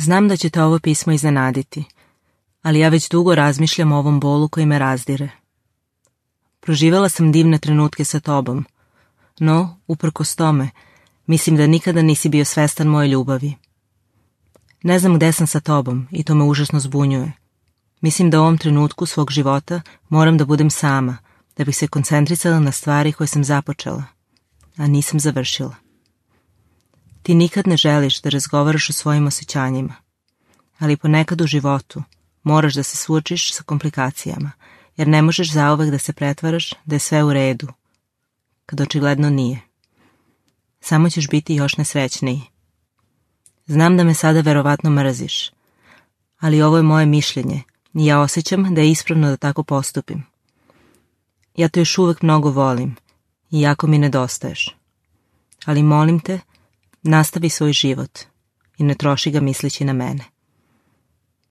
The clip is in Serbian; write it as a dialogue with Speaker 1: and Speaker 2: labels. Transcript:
Speaker 1: Znam da će te ovo pismo iznenaditi, ali ja već dugo razmišljam o ovom bolu koji me razdire. Proživjela sam divne trenutke sa tobom, no, uprkos tome, mislim da nikada nisi bio svestan moje ljubavi. Ne znam gde sam sa tobom i to me užasno zbunjuje. Mislim da u ovom trenutku svog života moram da budem sama, da bih se koncentrisala na stvari koje sam započela, a nisam završila. Ti nikad ne želiš da razgovaraš o svojim osjećanjima, ali ponekad u životu moraš da se suočiš sa komplikacijama, jer ne možeš zauvek da se pretvaraš da je sve u redu, kad očigledno nije. Samo ćeš biti još nesrećniji. Znam da me sada verovatno mrziš, ali ovo je moje mišljenje i ja osjećam da je ispravno da tako postupim. Ja te još uvek mnogo volim i jako mi nedostaješ. Ali molim te, nastavi svoj život i ne troši ga misleći na mene.